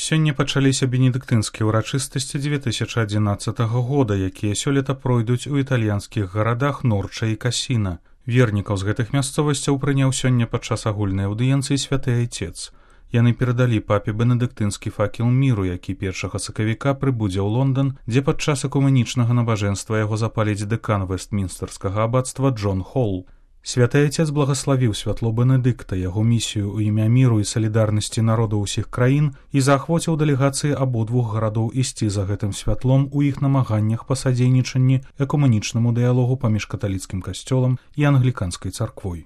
Сёння пачаліся бенедыктынскія ўрачыстасці 2011 года, якія сёлета пройдуць у італьянскіх гарадах Норча і Касіна. Вернікаў з гэтых мясцовасцяў прыняў сёння падчас агульнай аўдыенцыі святы айцец. Яны перадалі папе бенедыктынскі факел міру, які 1 сакавіка прыбудзе ў Лондан, дзе падчас экумэнічнага набажэнства яго запаліць дэкан Вестмінстэрскага абацтва Джон Холл. Святы айцец благаславіў святло Бенедыкта, яго місію ў імя міру і салідарнасці народаў усіх краін і заахвоціў дэлегацыі абодвух гарадоў ісці за гэтым святлом у іх намаганнях па садзейнічанні экумэнічнаму дыялогу паміж каталіцкім касцёлам і англіканскай царквой.